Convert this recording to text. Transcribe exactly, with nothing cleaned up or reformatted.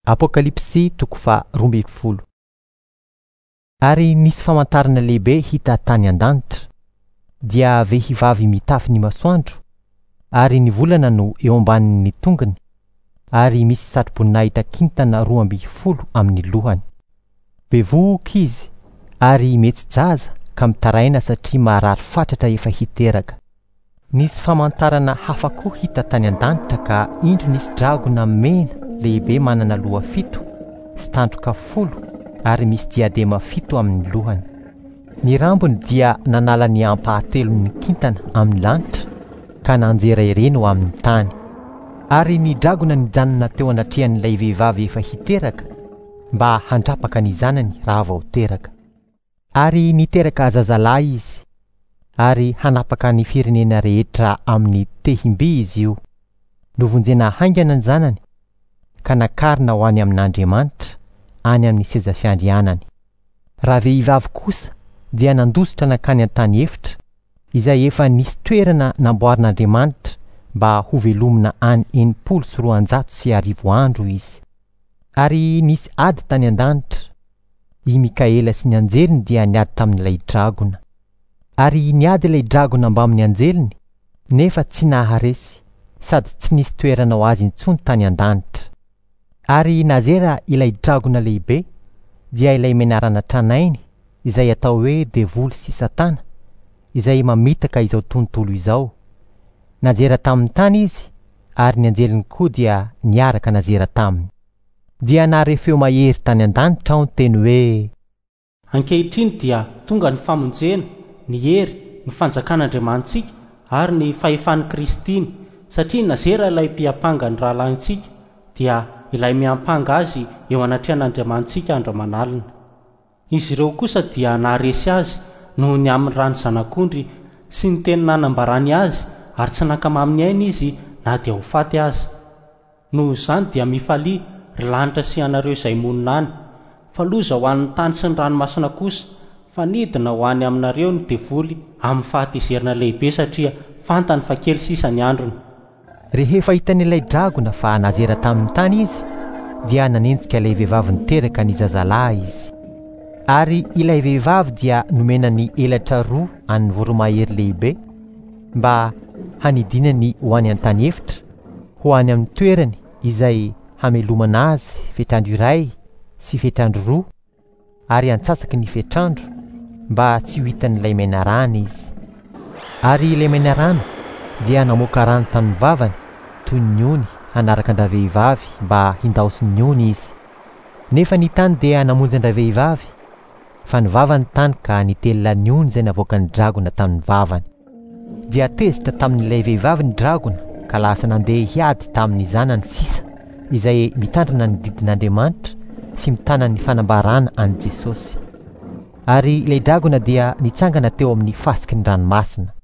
Apokalypsy toko faharoa ambin'ny folo. Ary nisy famantarana lehibe hita tany an-danitra, dia vehivavy mitafy ny masoandro, ary ny volana no eo ambanin'ny tongony, ary misy satroboninahitra kintana roa ambin'ny folo amin'ny lohany. Bevohoka izy ary mihetsi-jaza ka mitaraina satria marary fatratra efa hiteraka. Nisy famantarana hafa koa hita tany an-danitra ka indro nisy dragona mena lehibe manana loha fito sy tandroka folo ary misy diadema fito amin'ny lohany. Ny rambony dia nanala ny ampahatelon'ny kintana amin'ny lanitra ka nanjera ireny ho amin'ny tany. Ary ny dragona nijanona teo anatrehan'ilay vehivavy efa hiteraka mba handrapaka ny zanany raha vao teraka. Ary niteraka zazalahy izy, ary hanapaka ny firenena rehetra amin'ny tehim-by izy io. Novonjena haingana ny zanany ka nakarina ho any amin'Andriamanitra, any amin'ny seza fiandrianany. Raha vehivavy kosa dia nandositra nankany an-tany efitra, izay efa nisy toerana namboarin'Andriamanitra mba hovelomina any enimpolo sy roanjato sy arivo andro izy. Ary nisy ady tany an-danitra. I Mikaela sy ny anjeliny dia niady tamin'ilay dragona. Ary niady ilay dragona mbamin'ny anjeliny, nefa tsy naharesy, sady tsy nisy toerana ho azy intsony tany an-danitra. Ary nazera ilay dragona lehibe, dia ilay menarana tranainy, izay atao hoe devoly sy satana, izay mamitaka izao tontolo izao. Nazera tamin'ny tany izy, ary ny anjeliny koa dia niaraka nazera taminy. Dia nahare feo mahery tany an-danitra aho niteny hoe: Ankehitriny dia tonga ny famonjena, ny hery, ny fanjakan'Andriamanitsika ary ny fahefan'i Kristiny, satria nazera ilay mpiampanga ny rahalahintsika, dia ilay miampanga azy eo anatrehan'Andriamanitsika andro aman'alina. Izy ireo kosa dia naharesy azy noho ny amin'ny ran'ny zanak'ondry sy ny teny nanambarany azy, ary tsy nankamamy ny ainy izy na dia ho faty aza. Noho izany dia mifalia, ry lanitra sy ianareo izay monina any, fa loza ho an'ny tany sy ny ranomasina kosa, fa nidina ho any aminareo ny devoly amin'ny fahatezerana lehibe satria fantany fa kely sisa ny androny. Rehefa hitan'ilay dragona fa nazera tamin'ny tany izy, dia nanenjika ilay vehivavy niteraka ny zazalahy izy. Ary ilay vehivavy dia nomena ny elatra roa an'ny voromahery lehibe mba hanidinany ho any an-tany efitra, ho any amin'ny toerany izay hamelomana azy fetrandro iray sy fetrandro roa ary antsasaky ny fetrandro, mba tsy ho hitan'ilay menarana izy. Ary ilay menarana dia namoaka rano tamin'ny vavany toy ny ony hanaraka an-dravehivavy mba hindaosin'ny ony izy. Nefa ny tany dia namonjy an-dravehivavy, fa ny vavany tany ka nitelina ny ony izay navoakan'ny dragona tamin'ny vavany. Dia tezitra tamin'ilay vehivavy ny dragona ka lasa nandeha hiady tamin'ny zanany sisa, izay mitandrina ny didin'Andriamanitra sy mitana ny fanambarana an'i Jesosy. Ary ilay dragona dia nitsangana teo amin'ny fasiky ny ranomasina.